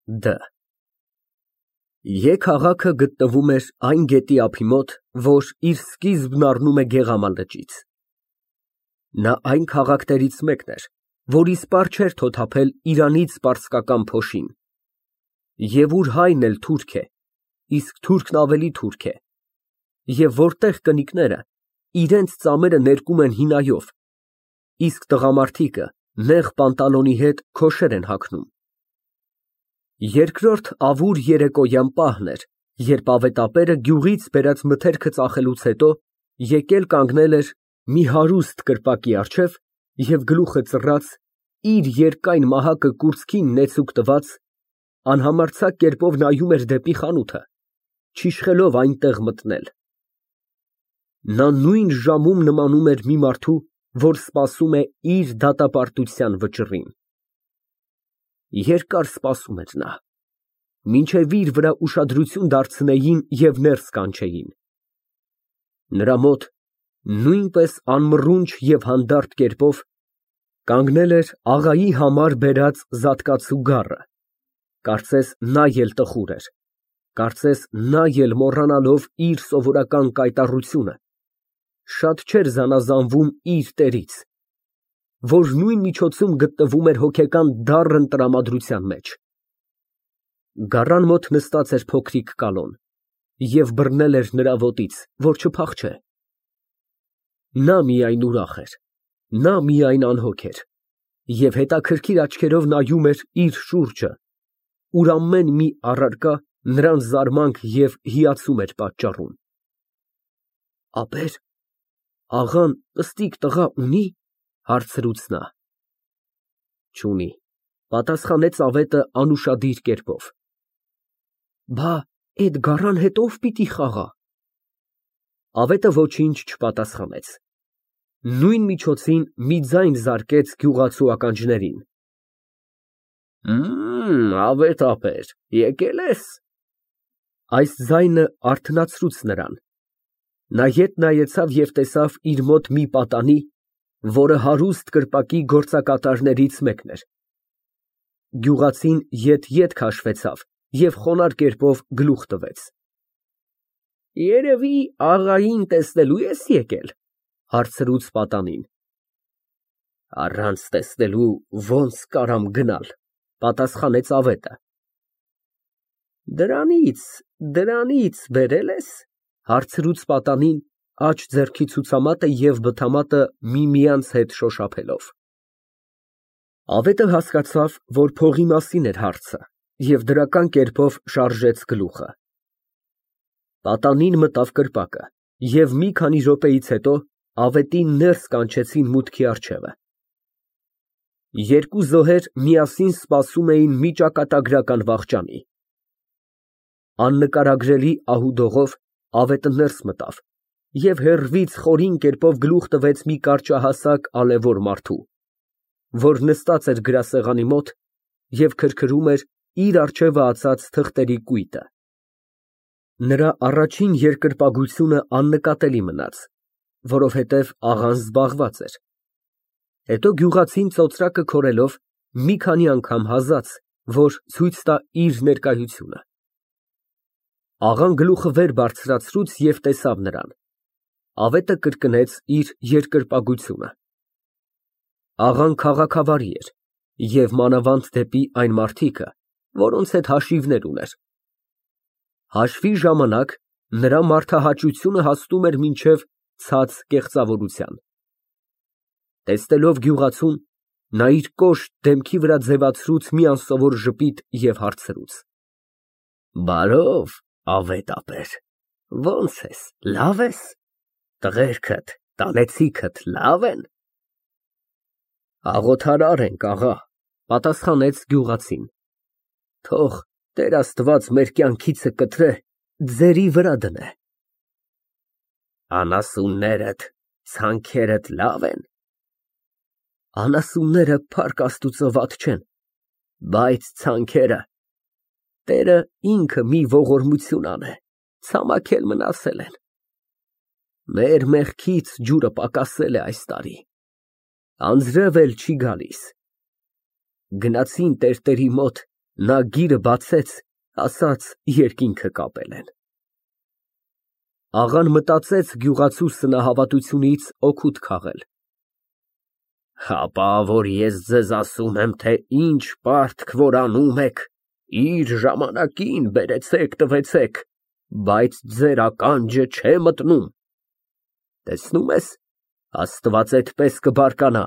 Դ Ե քաղաքը գտնվում էր այն գետի ափի մոտ, որ իր սկիզբն առնում է Գեղամա լճից։ Նա այն քաղաքներից մեկն էր, որի սպառ չէր թոթափել Իրանից պարսկական փոշին, և ուր հայն էլ թուրք է, իսկ թուրքն ավելի թուրք է, և որտեղ կնիկները իրենց ծամերը ներկում են հինայով, իսկ տղամարդիկը նեղ պանտալոնի հետ քոշեր են հագնում։ Երկրորդ ավուր երեկոյան պահն էր, երբ ավետապերը գյուղից բերած մթերքը ծախելուց հետո եկել կանգնել էր մի հարուստ կրպակի առջև և գլուխը ծռած, իր երկայն մահակը կուրծքին նեցուկ տված, անհամարձակ կերպով նայում էր դեպի խանութը, չիշխելով այնտեղ մտնել։ Նա նույն ժամում նմանում էր մի մարդու, որ սպասում է իր դատապարտության վճռին։ Երկար սպասում էր նա, մինչև իր վրա ուշադրություն դարձնեին և ներս կանչեին։ Նրա մոտ, նույնպես անմռունչ և հանդարտ կերպով, կանգնել էր աղայի համար բերած զատկացու գառը, կարծես նա էլ տխուր էր, կարծես նա էլ մոռանալով իր սովորական կայտառությունը, շատ չէր զանազանվում իր տերից, որ նույն միջոցում գտնվում էր հոգեկան դառն տրամադրության մեջ։ Գառան մոտ նստած էր փոքրիկ կալոն և բռնել էր նրա ոտից, որ չփախչե։ Նա միայն ուրախ էր, նա միայն անհոգ էր և հետաքրքիր աչքերով նայում էր իր շուրջը, ուր ամեն մի առարկա նրան զարմանք և հիացում էր պատճառում։ Աբեր աղան պստիկ տղա ունի՞, հարցրուց նա։ Չունի, պատասխանեց ավետը անուշադիր կերպով։ Բա էդ գառան հետ ո՞վ պիտի խաղա։ Ավետը ոչինչ չպատասխանեց։ Նույն միջոցին մի ձայն զարկեց գյուղացու ականջներին։ Ավետապեր, եկե՞լ ես։ Այս ձայնը արթնացրուց նրան։ Նա ետ նայեցավ և տեսավ իր մոտ մի պատանի, որը հարուստ կրպակի գործակատարներից մեկն էր։ Գյուղացին ետ քաշվեցավ և խոնարհ կերպով գլուխ տվեց։ Երևի աղային տեսնելու ես եկել, հարցրուց պատանին։ Առանց տեսնելու ոնց կարամ գնալ, պատասխանեց ավետը։ Դրանից բերել ես, հարցրուց պատանին, աջ ձեռքի ցուցամատը և բթամատը միմյանց հետ շոշափելով։ Ավետը հասկացավ, որ փողի մասին էր հարցը և դրական կերպով շարժեց գլուխը։ Պատանին մտավ կրպակը և մի քանի րոպեից հետո ավետին ներս կանչեցին մուտքի առջևը։ Երկու զոհեր միասին սպասում էին մի ճակատագրական վախճանի։ Աննկարագրելի ահուդողով ավետը ներս մտավ և հեռվից խորին կերպով գլուխ տվեց մի կարճահասակ ալեվոր մարդու, որ նստած էր գրասեղանի մոտ և քրքրում էր իր առջևը ածած թղթերի կույտը։ Նրա առաջին երկրպագությունը աննկատելի մնաց, որովհետև աղան զբաղված էր։ Հետո գյուղացին ծոծրակը քորելով մի քանի անգամ հազաց, որ ցույց տա իր ներկայությունը։ Աղան գլուխը վեր բարձրացրուց և տեսավ նրան։ Ավետը կրկնեց իր երկրպագությունը։ Աղան քաղաքավարի էր և մանավանդ դեպի այն մարդիկը, որոնց հետ հաշիվներ ուներ։ Հաշվի ժամանակ նրա մարդահաճությունը հասնում էր մինչև ցած կեղծավորության։ Տեսնելով գյուղացուն, նա իր կոշտ դեմքի վրա ձևացրուց մի անսովոր ժպիտ և հարցրուց. Բարով, ավետապեր, ո՞նց ես, լավ ես, տղերքդ, տանեցիքդ լավ են։ Աղոթարար ենք, աղա, պատասխանեց գյուղացին։ Թող Տեր Աստված մեր կյանքիցը կտրե, ձերի վրա դնե։ Անասուններդ, ցանքերդ լավ են։ Անասունները փառք Աստուծո վատ չեն, բայց ցանքերը Տերը ինքը մի ողորմություն անե, ցամաքել մնացել են։ Մեր մեղքից ջուրը պակասել է այս տարի, անձրև էլ չի գալիս։ Գնացին տերտերի մոտ, Նա գիրը բացեց, ասաց երկինքը կապել են։ Աղան մտածեց գյուղացու սնահավատությունից օգուտ քաղել։ Հապա, որ ես ձեզ ասում եմ, թե ինչ պարտք որ անում եք, իր ժամանակին բերեցեք, տվեցեք, բայց ձեր ականջը չէ մտնում։ Տեսնում ես, Աստված այդպես կբարկանա,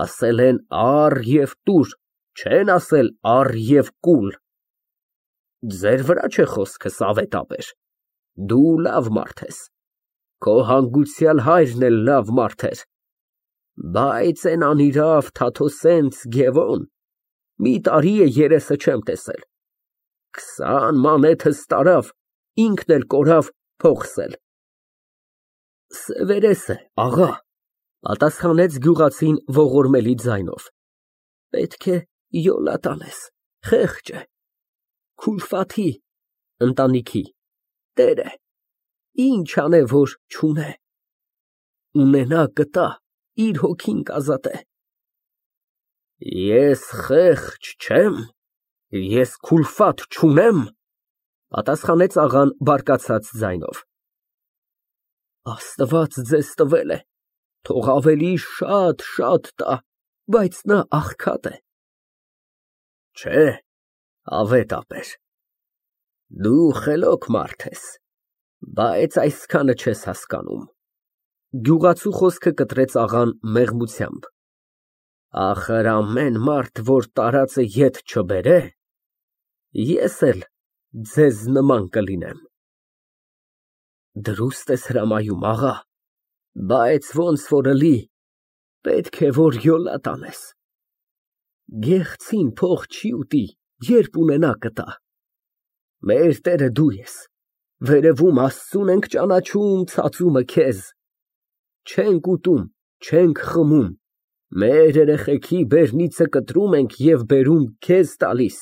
ասել են առ և տուր, չեն ասել առ և կուլ։ Ձեր վրա չէ խոսքս, ավետաբեր, դու լավ մարդ ես, քո հանգուցյալ հայրն էլ լավ մարդ էր, բայց այն անիրավ Թաթոսենց Գևոն մի տարի է երեսը չեմ տեսել, 20 մանեթս տարավ, ինքն էլ կորավ փողսել։ Սևերես է, աղա, պատասխանեց գյուղացին ողորմելի ձայնով, պետք է յոլա տանես, խեղճ է, Քուլֆաթի ընտանիքի տեր է, ինչ անե, որ չունե, ունենա կտա, իր հոգին կազատե։ Ես խեղճ չեմ, ես քուլֆաթ չունեմ, պատասխանեց աղան բարկացած ձայնով։ Աստված ձեզ տվել է, թող ավելի շատ տա, բայց նա աղքատ է։ Չէ, ավետաբեր, դու խելոք մարդ ես, բայց այսքանը չես հասկանում։ Գյուղացու խոսքը կտրեց աղան մեղմությամբ։ Ախր ամեն մարդ, որ տարածը ետ չբերե, ես էլ ձեզ նման կլինեմ։ Դրուստ ես հրամայում, աղա, բայց ոնց որ ըլի, պետք է որ յոլա տանես։ Գեղցին փող չի ուտի, երբ ունենա կտա։ Մեր տերը դու ես, վերևում Աստծուն ենք ճանաչում, ցածումը քեզ։ Չենք ուտում, չենք խմում, մեր երեխեքի բերնիցը կտրում ենք և բերում քեզ տալիս,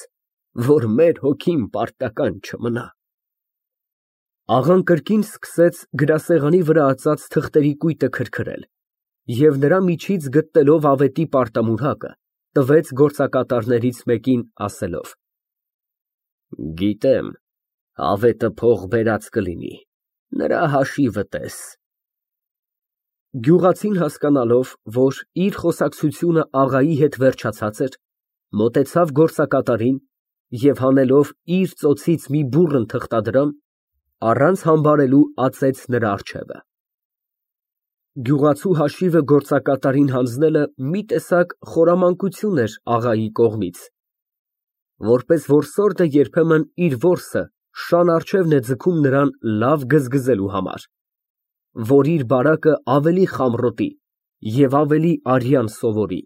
որ մեր հոգին պարտական չմնա։ Աղան կրկին սկսեց գրասեղանի վրա ածած թղթերի կույտը քրքրել և նրա միջից գտնելով ավետի պարտամուրհակը, տվեց գործակատարներից մեկին, ասելով. Գիտեմ, ավետը փող բերած կլինի, նրա հաշիվը տես։ Գյուղացին հասկանալով, որ իր խոսակցությունը աղայի հետ վերջացած էր, մոտեցավ գործակատարին և հանելով իր ծոցից մի բուռն թղթադրամ, առանց համբարելու ածեց նրա առջևը։ Գյուղացու հաշիվը գործակատարին հանձնելը մի տեսակ խորամանկություն էր աղայի կողմից, որպես որսորդը երբեմն իր որսը շան առջևն է ձգում նրան լավ գզգզելու համար, որ իր բարակը ավելի խամռոտի և ավելի արյան սովորի։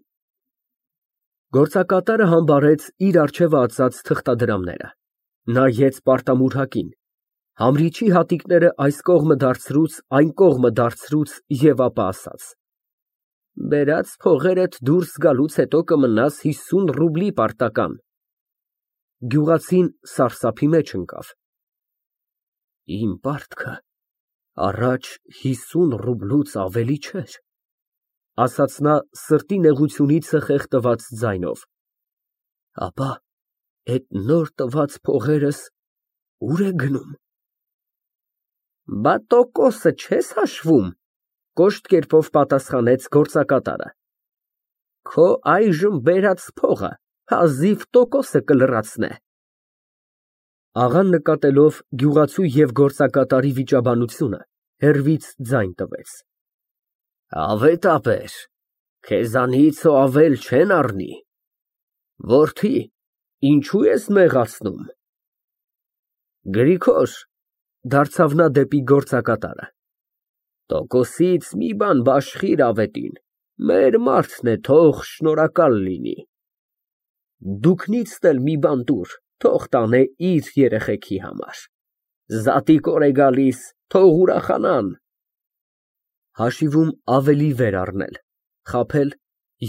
Գործակատարը համբարեց իր առջևը ածած թղթադրամները, նայեց պարտամուրհակին, համրիչի հատիկները այս կողմը դարձրուց, այն կողմը դարձրուց և ապա ասաց. Բերած փողերդ դուրս գալուց հետո կմնաս 50 ռուբլի պարտական։ Գյուղացին սարսափի մեջ ընկավ։ Իմ պարտքը առաջ 50 ռուբլուց ավելի չէր, ասաց նա սրտի նեղությունից խեղդված ձայնով։ Ապա այդ նոր տված փողերս ուր է գնում։ Բա տոկոսը չես հաշվում, կոշտ կերպով պատասխանեց գործակատարը։ Քո այժմ բերած փողը հազիվ տոկոսը կլրացնե։ Աղան նկատելով գյուղացու և գործակատարի վիճաբանությունը, հեռվից ձայն տվեց. Ավետաբեր, քեզանից ավել չեն առնի։ Որդի, ինչու ես նեղացնում։ Գրիգոր, դարձավ նա դեպի գործակատարը, տոկոսից մի բան բաշխիր ավետին, մեր մարդն է, թող շնորհակալ լինի։ Դուքնիցն էլ մի բան տուր, թող տանե իր երեխեքի համար։ Զատիկ օր է գալիս, թող ուրախանան։ Հաշիվում ավելի վեր առնել, խաբել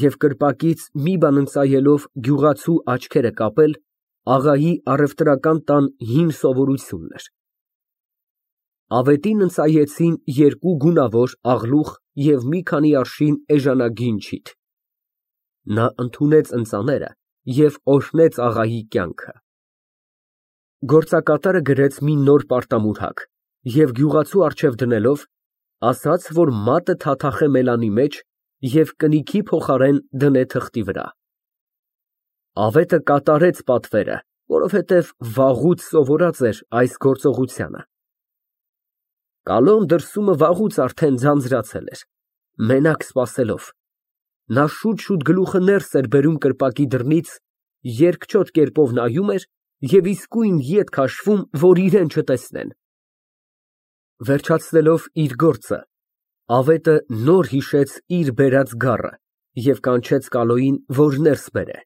և կրպակից մի բան ընծայելով գյուղացու աչքերը կապել աղայի առևտրական տան հին սովորությունն էր։ Ավետին ընծայեցին 2 գունավոր աղլուխ և մի քանի արշին էժանագին չիթ։ Նա ընդունեց ընծաները և օրհնեց աղայի կյանքը։ Գործակատարը գրեց մի նոր պարտամուրհակ և գյուղացու առջև դնելով, ասաց, որ մատը թաթախե մելանի մեջ և կնիքի փոխարեն դնե թղթի վրա։ Ավետը կատարեց պատվերը, որովհետև վաղուց սովորած էր այս գործողությանը։ Կալոն դրսումը վաղուց արդեն ձանձրացել էր, մենակ սպասելով։ Նա շուտ գլուխը ներս էր բերում կրպակի դռնից, երկչոտ կերպով նայում էր և իսկույն ետ քաշվում, որ իրան չտեսնեն։ Վերջացնելով իր գործը, ավետը նոր հիշեց իր բերած գառը և կանչեց Կալոյին, որ ներս բերե։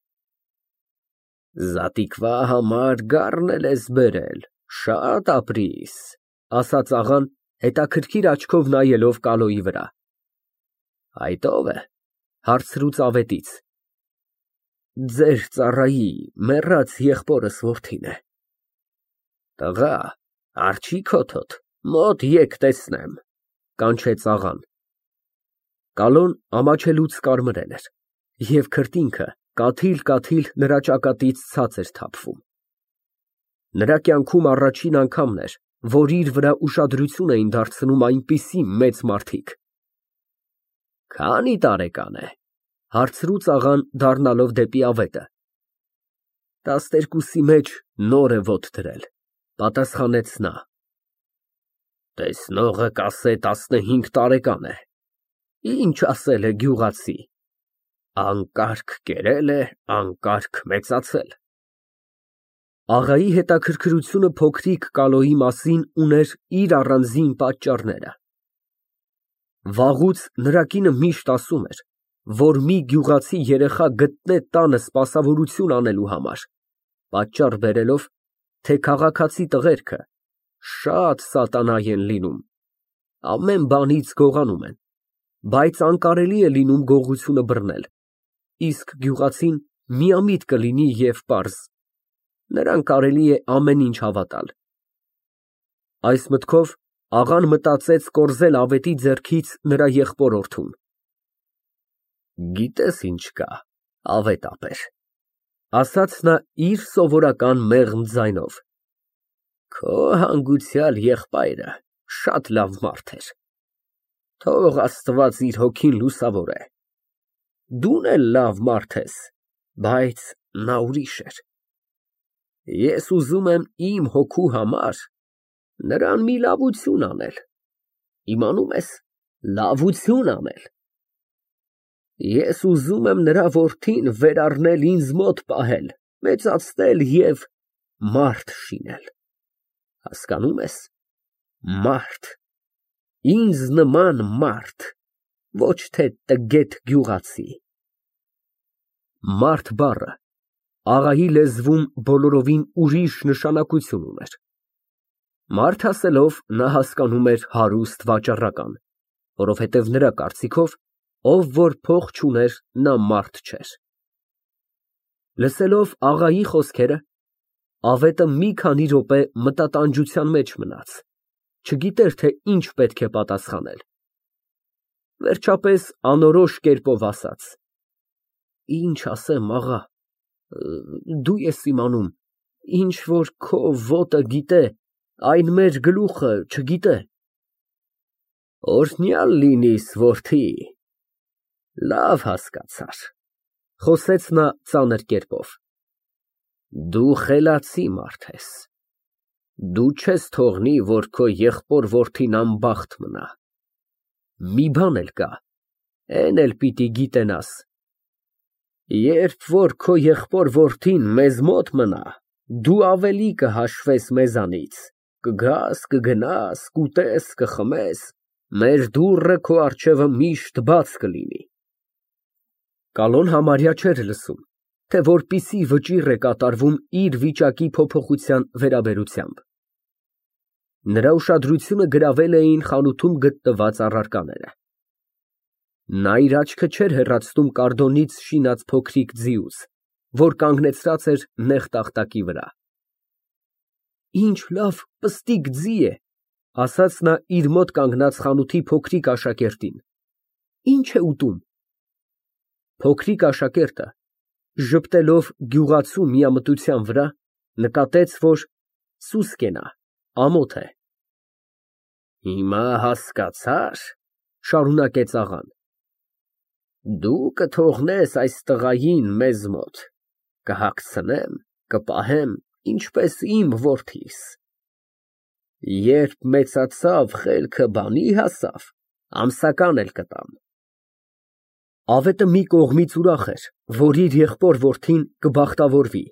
Զատիկվա համար գառն էլ ես բերել, շատ ապրիս, ասաց աղան, հետաքրքիր աչքով նայելով Կալոյի վրա։ Այդ ո՞վ է, հարցրուց ավետից։ Ձեր ծառայի մեռած եղբորս որդին է։ Տղա, արջի քոթոտ, մոտ եկ տեսնեմ, կանչեց աղան։ Կալոն ամաչելուց կարմրել էր և քրտինքը կաթիլ նրա ճակատից ցած էր թափվում։ Նրա կյանքում առաջին անգամն էր, որ իր վրա ուշադրություն էին դարձնում այնպիսի մեծ մարդիկ։ Քանի տարեկան է, հարցրուց աղան, դառնալով դեպի ավետը։ 12-ի մեջ նոր է ոտք դրել, պատասխանեց նա։ Տեսնողը կասե 15 տարեկան է, ինչ ասել է գյուղացի, անկարգ կերել է, անկարգ մեծացել։ Աղայի հետաքրքրությունը փոքրիկ Կալոյի մասին ուներ իր առանձին պատճառները։ Վաղուց նրա կինը միշտ ասում էր, որ մի գյուղացի երեխա գտնե տանը սպասավորություն անելու համար, պատճառ բերելով, թե քաղաքացի տղերքը շատ սատանայ են լինում, ամեն բանից գողանում են, բայց անկարելի է լինում գողությունը բռնել, իսկ գյուղացին միամիտ կլինի և պարզ, նրան կարելի է ամեն ինչ հավատալ։ Այս մտքով աղան մտածեց կորզել ավետի ձեռքից նրա եղբոր֊որդուն։ Գիտես ինչ կա, ավետապեր, ասաց նա իր սովորական մեղմ ձայնով, քո հանգուցյալ եղբայրը շատ լավ մարդ էր, թող Աստված իր հոգին լուսավորե, դուն էլ լավ մարդ ես, բայց նա ուրիշ էր, ես ուզում եմ իմ հոգու համար նրան մի լավություն անել, իմանում ես, լավություն անել, ես ուզում եմ նրա որդին վերառնել ինձ մոտ պահել, մեծացնել և մարդ շինել, հասկանում ես, մարդ, ինձ նման մարդ, ոչ թե տգետ գյուղացի։ Մարդ բառը աղայի լեզվում բոլորովին ուրիշ նշանակություն ուներ։ Մարդ ասելով նա հասկանում էր հարուստ վաճառական, որովհետև նրա կարծիքով, ով որ փող չուներ, նա մարդ չէր։ Լսելով աղայի խոսքերը, ավետը մի քանի րոպե մտատանջության մեջ մնաց, չգիտեր, թե ինչ պետք է պատասխանել։ Վերջապես անորոշ կերպով ասաց. Ինչ ասեմ, աղա, դու ես իմանում, ինչ որ քո ոտը գիտե, այն մեր գլուխը չգիտե։ Օրհնյալ լինիս, որդի, լավ հասկացար, խոսեց նա ծանր կերպով, դու խելացի մարդ ես, դու չես թողնի, որ քո եղբոր֊որդին անբախտ մնա, մի բան էլ կա, էն էլ պիտի գիտենաս, երբ որ քո եղբոր֊որդին մեզ մոտ մնա, դու ավելի կհաշվես մեզանից, կգաս, կգնաս, կուտես, կխմես, մեր դուռը քո առջևը միշտ բաց կլինի։ Կալոն համարյա չէր լսում, թե որպիսի վճիռ է կատարվում իր վիճակի փոփոխության վերաբերությամբ։ Նրա ուշադրությունը գրավել էին խանութում գտնված առարկաները։ Նա իր աչքը չէր հեռացնում կարտոնից շինած փոքրիկ ձիուց, որ կանգնեցրած էր նեղ տախտակի վրա։ Ինչ լավ պստիկ ձի է, ասաց նա իր մոտ կանգնած խանութի փոքրիկ աշակերտին։ Ինչ է ուտում։ Փոքրիկ աշակերտը ժպտելով գյուղացու միամտության վրա, նկատեց, որ սուսկ է նա, ամոթ է։ Հիմա հասկացա՞ր, շարունակեց աղան, դու կթողնես այս տղային մեզ մոտ, կհագցնեմ, կպահեմ, ինչպես իմ որդիս։ Երբ մեծացավ, խելքը բանի հասավ, ամսական էլ կտամ։ Ավետը մի կողմից ուրախ էր, որ իր եղբոր որդին կբախտավորվի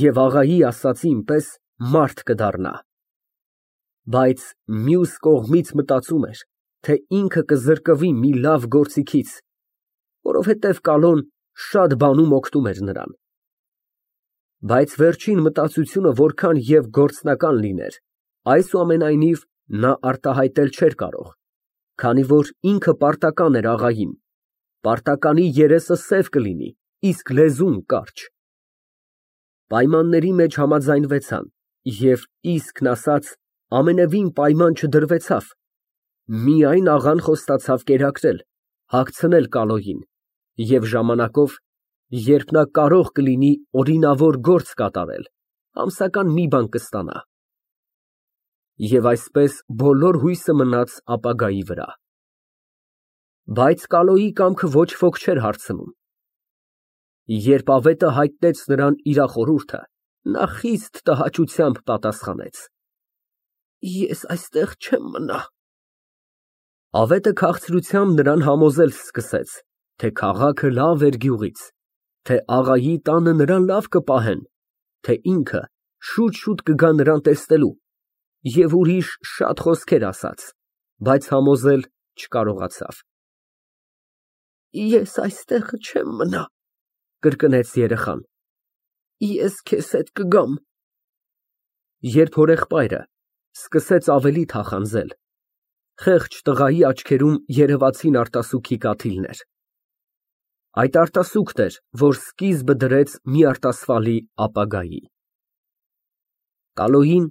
և աղայի ասածին պես մարդ կդառնա, բայց մյուս կողմից մտածում էր, թե ինքը կզրկվի մի լավ գործիքից, որովհետև կալոն շատ բանում օգնում էր նրան։ Բայց վերջին մտածությունը որքան և գործնական լիներ, այսուամենայնիվ նա արտահայտել չէր կարող, քանի որ ինքը պարտական էր աղային, պարտականի երեսը սև կլինի, իսկ լեզուն կարճ։ Պայմանների մեջ համաձայնվեցան և իսկն ասած ամենևին պայման չդրվեցավ, միայն աղան խոստացավ կերակրել, հագցնել կալոյին և ժամանակով, երբ նա կարող կլինի օրինավոր գործ կատարել, ամսական մի բան կստանա։ Եվ այսպես բոլոր հույսը մնաց ապագայի վրա։ Բայց կալոյի կամքը ոչ ոք չէր հարցնում։ Երբ ավետը հայտնեց նրան իր խորհուրդը, նա խիստ տհաճությամբ պատասխանեց. Ես այստեղ չեմ մնա։ Ավետը քաղցրությամբ նրան համոզել սկսեց, թե քաղաքը լավ էր գյուղից, թե աղայի տանը նրան լավ կպահեն, թե ինքը շուտ կգա նրան տեսնելու, և ուրիշ շատ խոսքեր ասաց, բայց համոզել չկարողացավ։ Ես այստեղ չեմ մնա, կրկնեց երեխան, ես քեզ հետ կգամ։ Երբ հորեղբայրը սկսեց ավելի թախանձել, խեղճ տղայի աչքերում երևացին արտասուքի կաթիլներ։ Այդ արտասուքն էր, որ սկիզբը դրեց մի արտասվալի ապագայի։ Կալոյին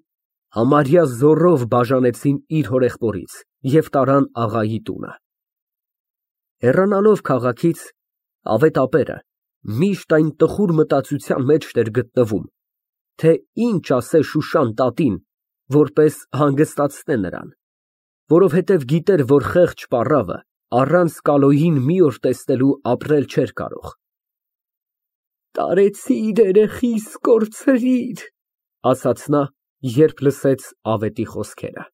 համարյա զոռով բաժանեցին իր հորեղբորից և տարան աղայի տունը։ Հեռանալով քաղաքից, ավետապերը միշտ այն տխուր մտածության մեջ էր գտնվում, թե ինչ ասե Շուշան տատին, որպես հանգստացնե նրան, որովհետև գիտեր, որ խեղճ պառավը առանց կալոյին մի օր տեսնելու ապրել չէր կարող։ Տարեցիր երեխիս, կորցրիր, ասաց նա, երբ լսեց ավետի խոսքերը։